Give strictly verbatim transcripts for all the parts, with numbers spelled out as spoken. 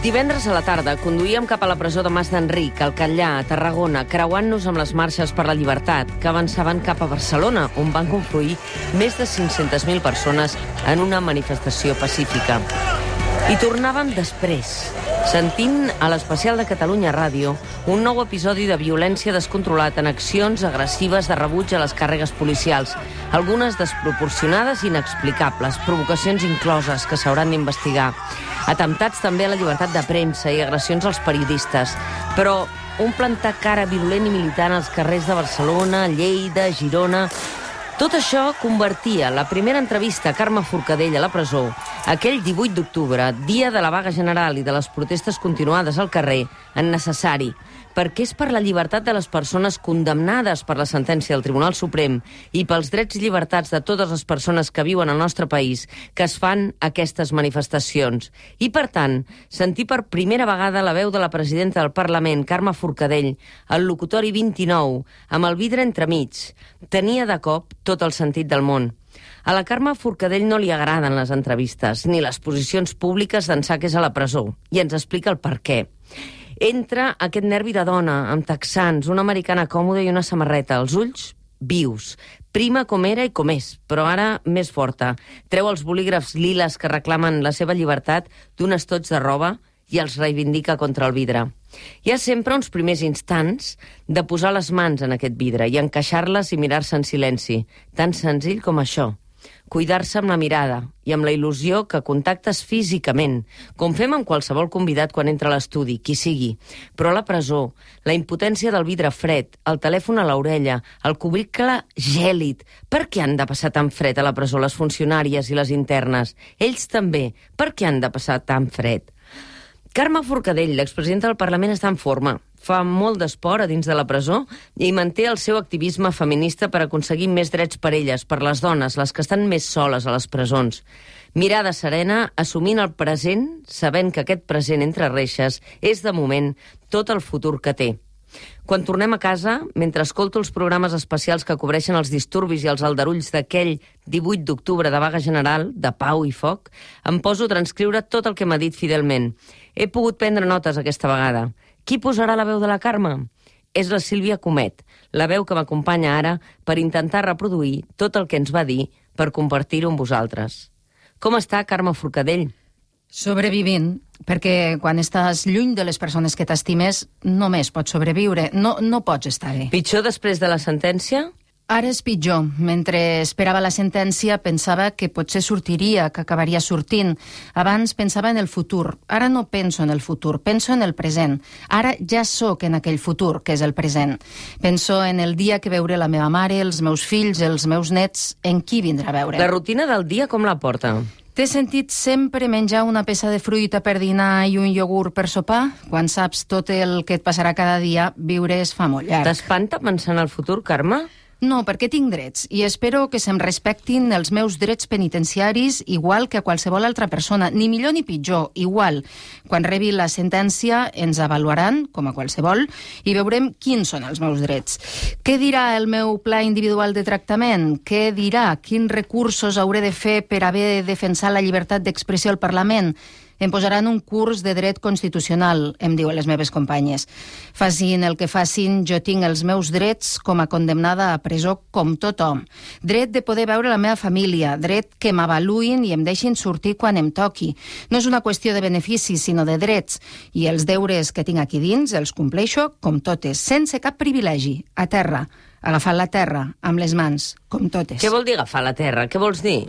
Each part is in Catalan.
Divendres a la tarda conduïem cap a la presó de Mas d'Enric, al Catllar, a Tarragona, creuant-nos amb les marxes per la llibertat, que avançaven cap a Barcelona, on van confluir més de cinc-centes mil persones en una manifestació pacífica. I tornàvem després, sentint a l'especial de Catalunya Ràdio un nou episodi de violència descontrolat en accions agressives de rebuig a les càrregues policials, algunes desproporcionades i inexplicables, provocacions incloses que s'hauran d'investigar, atemptats també a la llibertat de premsa i agressions als periodistes, però un plantar cara violent i militant als carrers de Barcelona, Lleida, Girona... Tot això convertia la primera entrevista a Carme Forcadell a la presó, aquell divuit d'octubre, dia de la vaga general i de les protestes continuades al carrer, en necessari, perquè és per la llibertat de les persones condemnades per la sentència del Tribunal Suprem i pels drets i llibertats de totes les persones que viuen al nostre país que es fan aquestes manifestacions. I, per tant, sentir per primera vegada la veu de la presidenta del Parlament, Carme Forcadell, al locutori vint-i-nou, amb el vidre entremig, tenia de cop tot el sentit del món. A la Carme Forcadell no li agraden les entrevistes ni les posicions públiques d'ençà que és a la presó, i ens explica el per què. Entra aquest nervi de dona, amb texans, una americana còmoda i una samarreta, els ulls vius, prima com era i com és, però ara més forta. Treu els bolígrafs liles que reclamen la seva llibertat d'un estoig de roba i els reivindica contra el vidre. Hi ha sempre uns primers instants de posar les mans en aquest vidre i encaixar-les i mirar-se en silenci, tan senzill com això. Cuidar-se amb la mirada i amb la il·lusió que contactes físicament, com fem amb qualsevol convidat quan entra a l'estudi, qui sigui. Però a la presó, la impotència del vidre fred, el telèfon a l'orella, el cubricle gèlid. Per què han de passar tan fred a la presó les funcionàries i les internes? Ells també. Per què han de passar tan fred? Carme Forcadell, l'expresidenta del Parlament, està en forma. Fa molt d'esport a dins de la presó i manté el seu activisme feminista per aconseguir més drets per elles, per les dones, les que estan més soles a les presons. Mirada serena, assumint el present, sabent que aquest present entre reixes és, de moment, tot el futur que té. Quan tornem a casa, mentre escolto els programes especials que cobreixen els disturbis i els aldarulls d'aquell divuit d'octubre de vaga general, de pau i foc, em poso a transcriure tot el que m'ha dit fidelment. He pogut prendre notes aquesta vegada. Qui posarà la veu de la Carme? És la Sílvia Comet, la veu que m'acompanya ara per intentar reproduir tot el que ens va dir per compartir-ho amb vosaltres. Com està, Carme Forcadell? Sobrevivint, perquè quan estàs lluny de les persones que t'estimes només pots sobreviure, no, no pots estar bé. Pitjor després de la sentència? Ara és pitjor. Mentre esperava la sentència pensava que potser sortiria, que acabaria sortint. Abans pensava en el futur. Ara no penso en el futur, penso en el present. Ara ja sóc en aquell futur, que és el present. Penso en el dia que veuré la meva mare, els meus fills, els meus nets, en qui vindrà a veure. La rutina del dia com la porta? T'he sentit sempre menjar una peça de fruita per dinar i un iogurt per sopar? Quan saps tot el que et passarà cada dia, viure es fa molt llarg. T'espanta pensar en el futur, Carme? No, perquè tinc drets i espero que se'm respectin els meus drets penitenciaris igual que a qualsevol altra persona, ni millor ni pitjor, igual. Quan rebi la sentència ens avaluaran, com a qualsevol, i veurem quins són els meus drets. Què dirà el meu pla individual de tractament? Què dirà? Quins recursos hauré de fer per haver defensat la llibertat d'expressió al Parlament? Em posaran un curs de dret constitucional, em diuen les meves companyes. Facin el que facin, jo tinc els meus drets com a condemnada a presó com tothom. Dret de poder veure la meva família, dret que m'avaluïn i em deixin sortir quan em toqui. No és una qüestió de beneficis, sinó de drets. I els deures que tinc aquí dins els compleixo com totes, sense cap privilegi, a terra, agafant la terra amb les mans, com totes. Què vol dir agafar la terra? Què vols dir?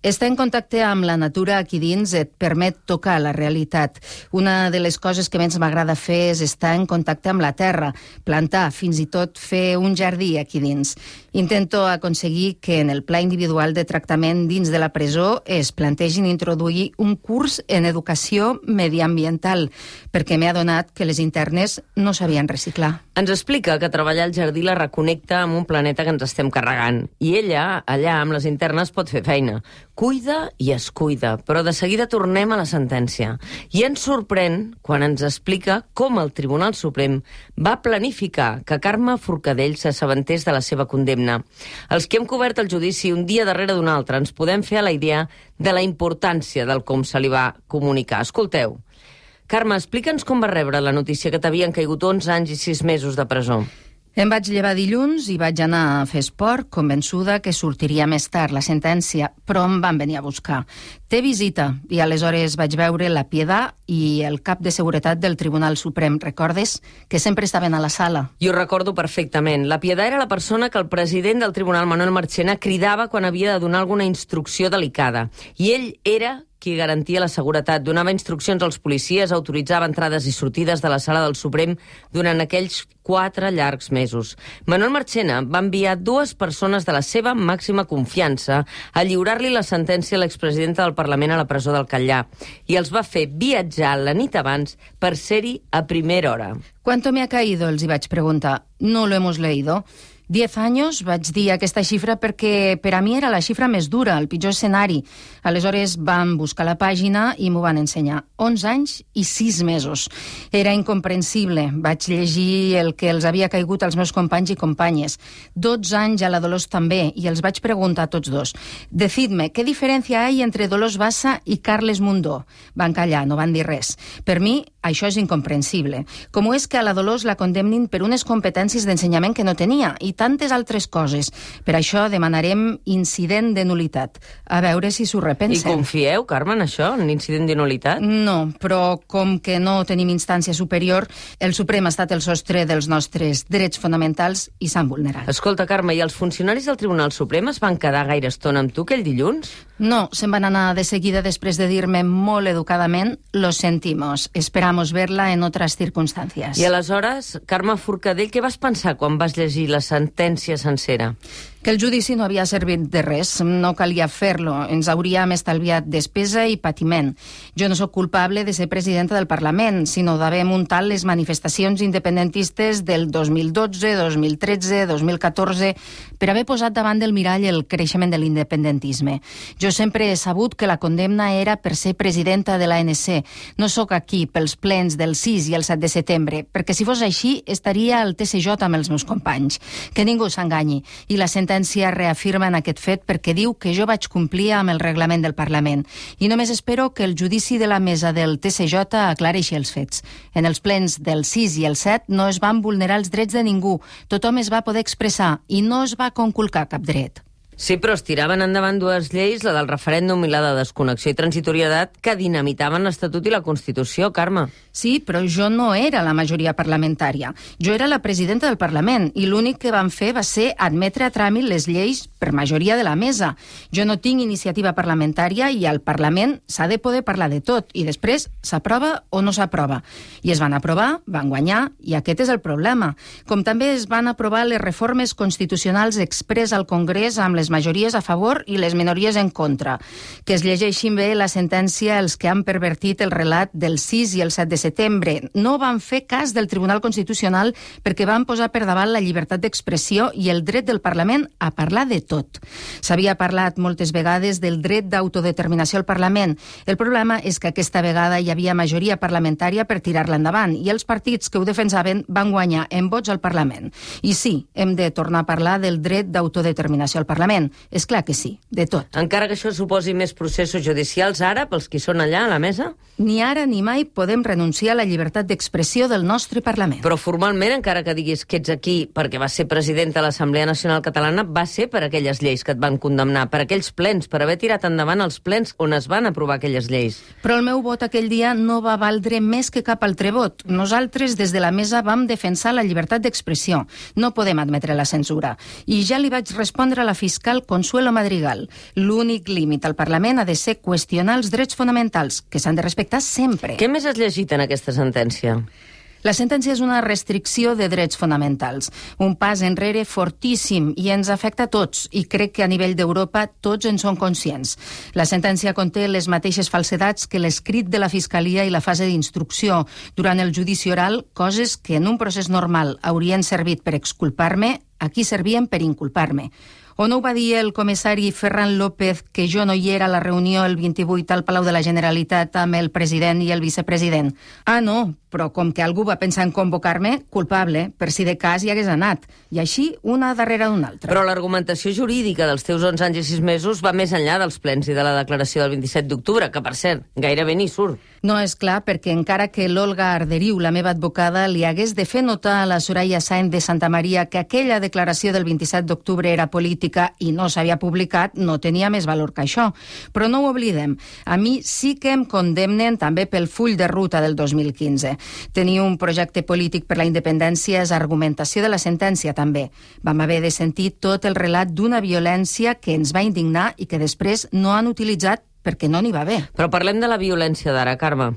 Estar en contacte amb la natura aquí dins et permet tocar la realitat. Una de les coses que més m'agrada fer és estar en contacte amb la terra, plantar, fins i tot fer un jardí aquí dins. Intento aconseguir que en el pla individual de tractament dins de la presó es plantegin introduir un curs en educació mediambiental, perquè m'he adonat que les internes no sabien reciclar. Ens explica que treballar al jardí la reconnecta amb un planeta que ens estem carregant. I ella, allà, amb les internes, pot fer feina. Cuida i es cuida, però de seguida tornem a la sentència. I ens sorprèn quan ens explica com el Tribunal Suprem va planificar que Carme Forcadell s'assabentés de la seva condemna. Els que hem cobert el judici un dia darrere d'un altre ens podem fer a la idea de la importància del com se li va comunicar. Escolteu. Carme, explica'ns com va rebre la notícia que t'havien caigut onze anys i sis mesos de presó. Em vaig llevar dilluns i vaig anar a fer esport, convençuda que sortiria més tard la sentència, però em van venir a buscar. Té visita, i aleshores vaig veure la Piedà i el cap de seguretat del Tribunal Suprem. Recordes? Que sempre estaven a la sala. Jo recordo perfectament. La Piedà era la persona que el president del Tribunal, Manuel Marchena, cridava quan havia de donar alguna instrucció delicada. I ell era qui garantia la seguretat, donava instruccions als policies, autoritzava entrades i sortides de la sala del Suprem durant aquells quatre llargs mesos. Manuel Marchena va enviar dues persones de la seva màxima confiança a lliurar-li la sentència a l'expresidenta del Parlament a la presó del Catllar i els va fer viatjar la nit abans per ser-hi a primera hora. ¿Cuánto me ha caído?, els hi vaig preguntar. No lo hemos leído. Diez anys, vaig dir aquesta xifra perquè per a mi era la xifra més dura, el pitjor escenari. Aleshores vam buscar la pàgina i m'ho van ensenyar. Onze anys i sis mesos. Era incomprensible. Vaig llegir el que els havia caigut als meus companys i companyes. Dotze anys a la Dolors també, i els vaig preguntar a tots dos. Decidme, ¿qué diferencia hay entre Dolors Bassa i Carles Mundó? Van callar, no van dir res. Per mi, això és incomprensible. Com és que a la Dolors la condemnin per unes competències d'ensenyament que no tenia, i tantes altres coses. Per això demanarem incident de nulitat. A veure si s'ho repensen. I confieu, Carme, en això, en incident de nulitat? No, però com que no tenim instància superior, el Suprem ha estat el sostre dels nostres drets fonamentals i s'han vulnerat. Escolta, Carme, i els funcionaris del Tribunal Suprem es van quedar gaire estona amb tu aquell dilluns? No, se'n van anar de seguida després de dir-me molt educadament «Lo sentimos, esperamos verla en otras circunstancias». I aleshores, Carme Forcadell, què vas pensar quan vas llegir la sentència sencera? Que el judici no havia servit de res, no calia fer-lo, ens hauríem estalviat despesa i patiment. Jo no sóc culpable de ser presidenta del Parlament, sinó d'haver muntat les manifestacions independentistes del dos mil dotze, dos mil tretze, dos mil catorze, per haver posat davant del mirall el creixement de l'independentisme. Jo sempre he sabut que la condemna era per ser presidenta de l'A N C. No sóc aquí pels plens del sis i el set de setembre, perquè si fos així estaria al T C J amb els meus companys. Que ningú s'enganyi. I la sentència reafirma en aquest fet perquè diu que jo vaig complir amb el reglament del Parlament. I només espero que el judici de la mesa del T C J aclareixi els fets. En els plens del sis i el set no es van vulnerar els drets de ningú. Tothom es va poder expressar i no es va conculcar cap dret. Sí, però es tiraven endavant dues lleis, la del referèndum i la de desconnexió i transitorietat, que dinamitaven l'Estatut i la Constitució, Carme. Sí, però jo no era la majoria parlamentària. Jo era la presidenta del Parlament i l'únic que van fer va ser admetre a tràmit les lleis per majoria de la mesa. Jo no tinc iniciativa parlamentària i al Parlament s'ha de poder parlar de tot i després s'aprova o no s'aprova. I es van aprovar, van guanyar i aquest és el problema. Com també es van aprovar les reformes constitucionals express al Congrés amb les les majories a favor i les minories en contra. Que es llegeixin bé la sentència els que han pervertit el relat del sis i el set de setembre. No van fer cas del Tribunal Constitucional perquè van posar per davant la llibertat d'expressió i el dret del Parlament a parlar de tot. S'havia parlat moltes vegades del dret d'autodeterminació al Parlament. El problema és que aquesta vegada hi havia majoria parlamentària per tirar-la endavant i els partits que ho defensaven van guanyar en vots al Parlament. I sí, hem de tornar a parlar del dret d'autodeterminació al Parlament. És clar que sí, de tot. Encara que això suposi més processos judicials ara, pels qui són allà a la mesa? Ni ara ni mai podem renunciar a la llibertat d'expressió del nostre Parlament. Però formalment, encara que diguis que ets aquí perquè vas ser presidenta de l'Assemblea Nacional Catalana, va ser per aquelles lleis que et van condemnar, per aquells plens, per haver tirat endavant els plens on es van aprovar aquelles lleis. Però el meu vot aquell dia no va valdre més que cap altre vot. Nosaltres, des de la mesa, vam defensar la llibertat d'expressió. No podem admetre la censura. I ja li vaig respondre a la fiscal Consuelo Madrigal. L'únic límit al Parlament ha de ser qüestionar els drets fonamentals, que s'han de respectar sempre. Què més has llegit en aquesta sentència? La sentència és una restricció de drets fonamentals, un pas enrere fortíssim i ens afecta a tots, i crec que a nivell d'Europa tots en són conscients. La sentència conté les mateixes falsedats que l'escrit de la Fiscalia i la fase d'instrucció durant el judici oral, coses que en un procés normal haurien servit per exculpar-me, aquí servien per inculpar-me. O no ho va dir el comissari Ferran López que jo no hi era a la reunió el vint-i-vuit al Palau de la Generalitat amb el president i el vicepresident? Ah, no, però com que algú va pensar en convocar-me, culpable, per si de cas hi hagués anat. I així, una darrere d'una altra. Però l'argumentació jurídica dels teus onze anys i sis mesos va més enllà dels plens i de la declaració del vint-i-set d'octubre, que, per cert, gairebé ni surt. No, és clar, perquè encara que l'Olga Arderiu, la meva advocada, li hagués de fer notar a la Soraya Sáenz de Santa Maria que aquella declaració del vint-i-set d'octubre era política i no s'havia publicat, no tenia més valor que això. Però no ho oblidem. A mi sí que em condemnen també pel full de ruta del dos mil quinze. Tenir un projecte polític per la independència és argumentació de la sentència, també. Vam haver de sentir tot el relat d'una violència que ens va indignar i que després no han utilitzat perquè no n'hi va haver. Però parlem de la violència d'ara, Carme.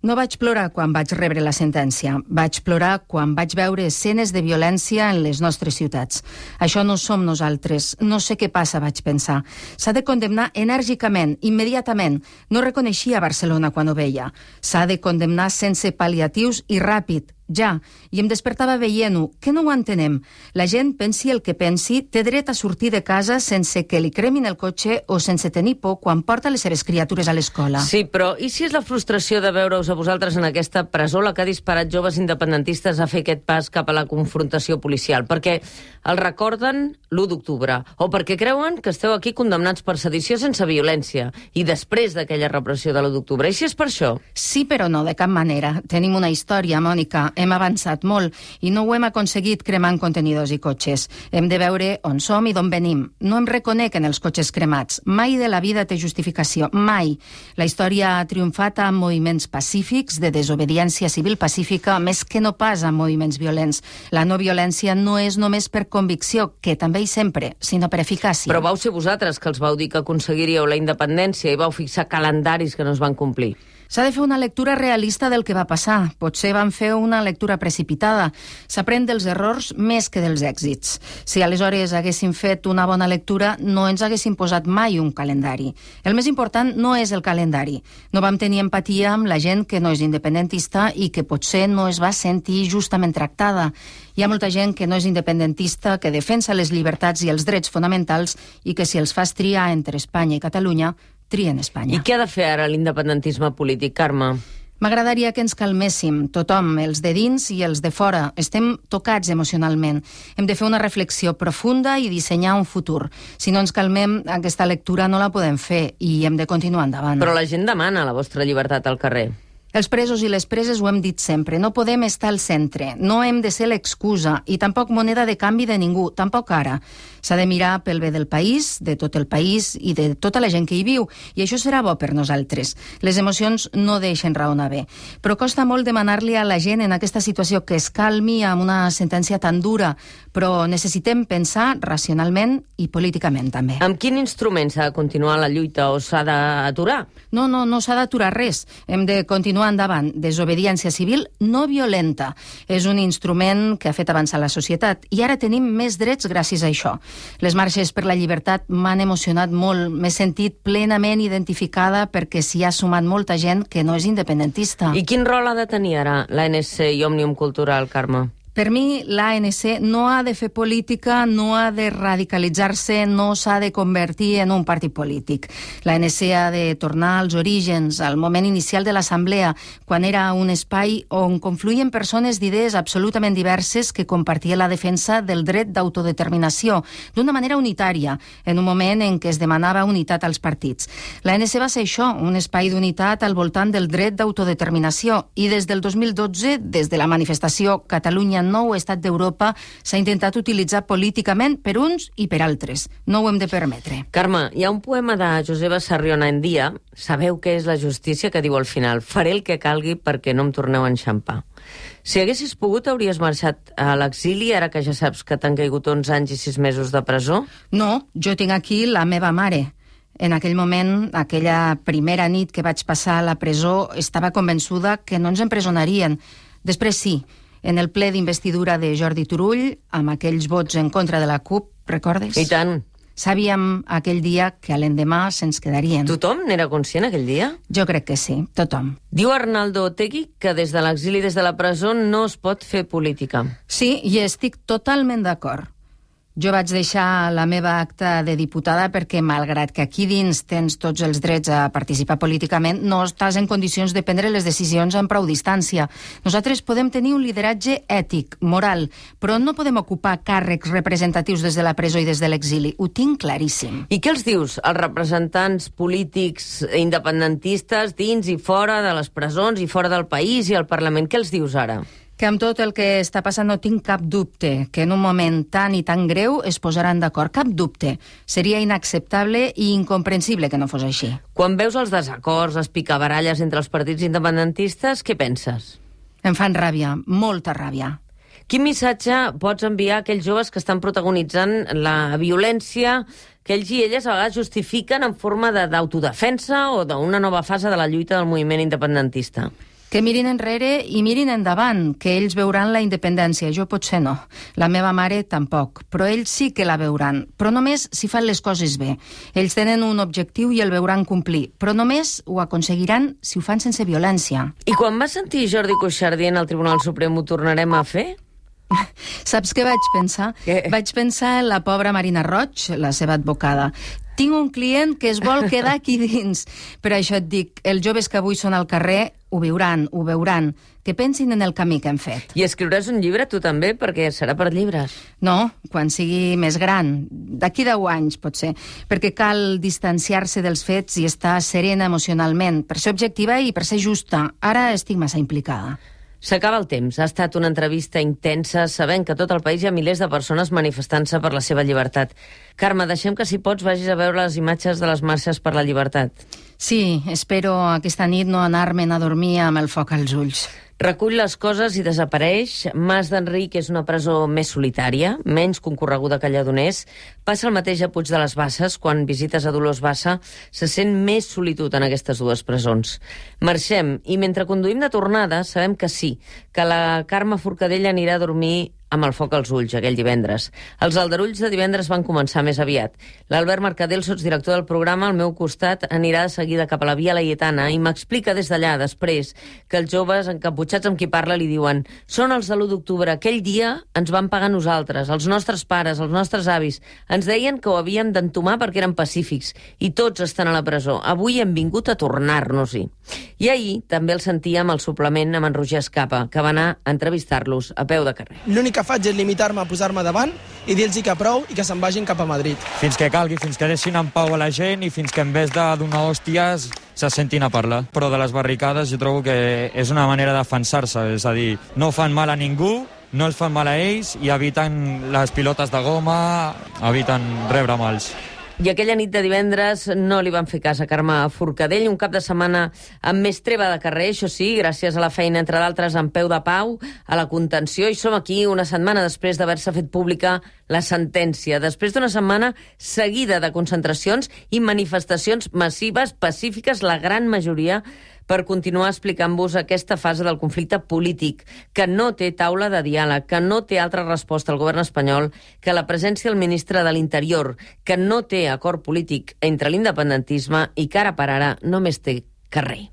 No vaig plorar quan vaig rebre la sentència. Vaig plorar quan vaig veure escenes de violència en les nostres ciutats. Això no som nosaltres. No sé què passa, vaig pensar. S'ha de condemnar enèrgicament, immediatament. No reconeixia Barcelona quan ho veia. S'ha de condemnar sense pal·liatius i ràpid. Ja, i em despertava veient-ho. Que no ho entenem? La gent, pensi el que pensi, té dret a sortir de casa sense que li cremin el cotxe o sense tenir por quan porta les seves criatures a l'escola. Sí, però i si és la frustració de veure-us a vosaltres en aquesta presó la que ha disparat joves independentistes a fer aquest pas cap a la confrontació policial? Perquè el recorden l'u d'octubre, o perquè creuen que esteu aquí condemnats per sedició sense violència, i després d'aquella repressió de l'u d'octubre. I si és per això? Sí, però no, de cap manera. Tenim una història, Mònica. Hem avançat molt i no ho hem aconseguit cremant contenidors i cotxes. Hem de veure on som i d'on venim. No em reconec en els cotxes cremats. Mai de la vida té justificació. Mai. La història ha triomfat amb moviments pacífics, de desobediència civil pacífica, més que no pas amb moviments violents. La no violència no és només per convicció, que també i sempre, sinó per eficàcia. Però vau ser vosaltres que els vau dir que aconseguiríeu la independència i vau fixar calendaris que no es van complir. S'ha de fer una lectura realista del que va passar. Potser van fer una lectura precipitada. S'aprèn dels errors més que dels èxits. Si aleshores haguéssim fet una bona lectura, no ens haguéssim posat mai un calendari. El més important no és el calendari. No vam tenir empatia amb la gent que no és independentista i que potser no es va sentir justament tractada. Hi ha molta gent que no és independentista, que defensa les llibertats i els drets fonamentals i que si els fas triar entre Espanya i Catalunya, trien Espanya. I què ha de fer ara l'independentisme polític, Carme? M'agradaria que ens calméssim, tothom, els de dins i els de fora. Estem tocats emocionalment. Hem de fer una reflexió profunda i dissenyar un futur. Si no ens calmem, aquesta lectura no la podem fer i hem de continuar endavant. Però la gent demana la vostra llibertat al carrer. Els presos i les preses ho hem dit sempre. No podem estar al centre. No hem de ser l'excusa i tampoc moneda de canvi de ningú, tampoc ara. S'ha de mirar pel bé del país, de tot el país i de tota la gent que hi viu. I això serà bo per nosaltres. Les emocions no deixen raonar bé. Però costa molt demanar-li a la gent en aquesta situació que es calmi amb una sentència tan dura. Però necessitem pensar racionalment i políticament també. Amb quin instrument s'ha de continuar la lluita o s'ha d'aturar? No, no, no s'ha d'aturar res. Hem de continuar endavant. Desobediència civil no violenta. És un instrument que ha fet avançar la societat i ara tenim més drets gràcies a això. Les marxes per la llibertat m'han emocionat molt. M'he sentit plenament identificada perquè s'hi ha sumat molta gent que no és independentista. I quin rol ha de tenir ara l'A N C i Òmnium Cultural, Carme? Per mi, l'A N C no ha de fer política, no ha de radicalitzar-se, no s'ha de convertir en un partit polític. L'A N C ha de tornar als orígens, al moment inicial de l'Assemblea, quan era un espai on confluïen persones d'idees absolutament diverses que compartien la defensa del dret d'autodeterminació, d'una manera unitària, en un moment en què es demanava unitat als partits. L'A N C va ser això, un espai d'unitat al voltant del dret d'autodeterminació, i des del dos mil dotze, des de la manifestació Catalunya nou estat d'Europa, s'ha intentat utilitzar políticament per uns i per altres. No ho hem de permetre. Carme, hi ha un poema de Joseba Sarriona en Dia, sabeu què és la justícia, que diu al final: faré el que calgui perquè no em torneu a enxampar. Si haguessis pogut, hauries marxat a l'exili, ara que ja saps que t'han caigut onze anys i sis mesos de presó? No, jo tinc aquí la meva mare. En aquell moment, aquella primera nit que vaig passar a la presó, estava convençuda que no ens empresonarien. Després sí, en el ple d'investidura de Jordi Turull, amb aquells vots en contra de la CUP, recordes? I tant. Sabíem aquell dia que a l'endemà se'ns quedarien. Tothom n'era conscient aquell dia? Jo crec que sí, tothom. Diu Arnaldo Otegi que des de l'exili, des de la presó, no es pot fer política. Sí, i estic totalment d'acord. Jo vaig deixar la meva acta de diputada perquè, malgrat que aquí dins tens tots els drets a participar políticament, no estàs en condicions de prendre les decisions amb prou distància. Nosaltres podem tenir un lideratge ètic, moral, però no podem ocupar càrrecs representatius des de la presó i des de l'exili. Ho tinc claríssim. I què els dius als representants polítics independentistes dins i fora de les presons i fora del país i al Parlament? Què els dius ara? Que amb tot el que està passant no tinc cap dubte que en un moment tan i tan greu es posaran d'acord. Cap dubte. Seria inacceptable i incomprensible que no fos així. Quan veus els desacords, les picabaralles entre els partits independentistes, què penses? Em fan ràbia, molta ràbia. Quin missatge pots enviar a aquells joves que estan protagonitzant la violència que ells i elles a vegades justifiquen en forma d'autodefensa o d'una nova fase de la lluita del moviment independentista? Que mirin enrere i mirin endavant, que ells veuran la independència. Jo potser no. La meva mare tampoc. Però ells sí que la veuran. Però només si fan les coses bé. Ells tenen un objectiu i el veuran complir. Però només ho aconseguiran si ho fan sense violència. I quan vas sentir Jordi Cuixart dient al Tribunal Suprem ho tornarem a fer? Saps què vaig pensar? Què? Vaig pensar en la pobra Marina Roig, la seva advocada. Tinc un client que es vol quedar aquí dins. Per això et dic, els joves que avui són al carrer ho viuran, ho veuran, que pensin en el camí que hem fet. I escriuràs un llibre tu també, perquè serà per llibres. No, quan sigui més gran, d'aquí deu anys potser, perquè cal distanciar-se dels fets i estar serena emocionalment, per ser objectiva i per ser justa. Ara estic massa implicada. S'acaba el temps. Ha estat una entrevista intensa, sabent que a tot el país hi ha milers de persones manifestant-se per la seva llibertat. Carme, deixem que, si pots, vagis a veure les imatges de les marxes per la llibertat. Sí, espero aquesta nit no anar-me'n a dormir amb el foc als ulls. Recull les coses i desapareix. Mas d'Enric és una presó més solitària, menys concorreguda que Lledoners. Passa el mateix a Puig de les Basses. Quan visites a Dolors Bassa, se sent més solitud en aquestes dues presons. Marxem, i mentre conduïm de tornada, sabem que sí, que la Carme Forcadell anirà a dormir amb el foc als ulls aquell divendres. Els aldarulls de divendres van començar més aviat. L'Albert Mercadel, sotsdirector del programa, al meu costat, anirà de seguida cap a la Via Laietana i m'explica des d'allà, després, que els joves encaputxats amb qui parla li diuen: són els de l'u d'octubre, aquell dia ens van pagar nosaltres, els nostres pares, els nostres avis. Ens deien que ho havíem d'entomar perquè eren pacífics i tots estan a la presó. Avui hem vingut a tornar-nos-hi. I ahir també el sentíem al suplement amb en Roger Escapa, que va anar a entrevistar-los a peu de carrer. L'únic que faig és limitar-me a posar-me davant i dir-los que prou i que se'n vagin cap a Madrid. Fins que calgui, fins que deixin en pau a la gent i fins que en vez de donar hòsties se sentin a parlar. Però de les barricades jo trobo que és una manera de defensar-se, és a dir, no fan mal a ningú, no els fan mal a ells i eviten les pilotes de goma, eviten rebre mals. I aquella nit de divendres no li van fer cas a Carme Forcadell, un cap de setmana amb més treva de carrer, això sí, gràcies a la feina, entre d'altres, en peu de pau, a la contenció, i som aquí una setmana després d'haver-se fet pública la sentència, després d'una setmana seguida de concentracions i manifestacions massives, pacífiques, la gran majoria, per continuar explicant-vos aquesta fase del conflicte polític, que no té taula de diàleg, que no té altra resposta al govern espanyol que la presència del ministre de l'Interior, que no té acord polític entre l'independentisme i que ara per ara només té carrer.